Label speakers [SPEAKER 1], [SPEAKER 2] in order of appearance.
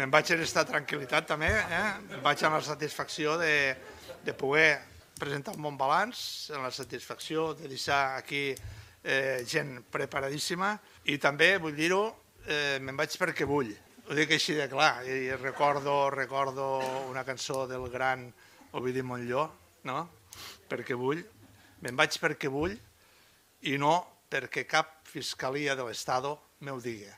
[SPEAKER 1] me'n vaig en aquesta tranquil·litat també, em vaig amb la satisfacció de poder presentar un bon balanç, amb la satisfacció de deixar aquí gent preparadíssima i també, vull dir-ho, me'n vaig perquè vull. Ho dic així de clar, i recordo una cançó del gran Ovidi Montllor, no? Perquè vull, me'n vaig perquè vull i no perquè cap fiscalia de l'Estado m'ho digui.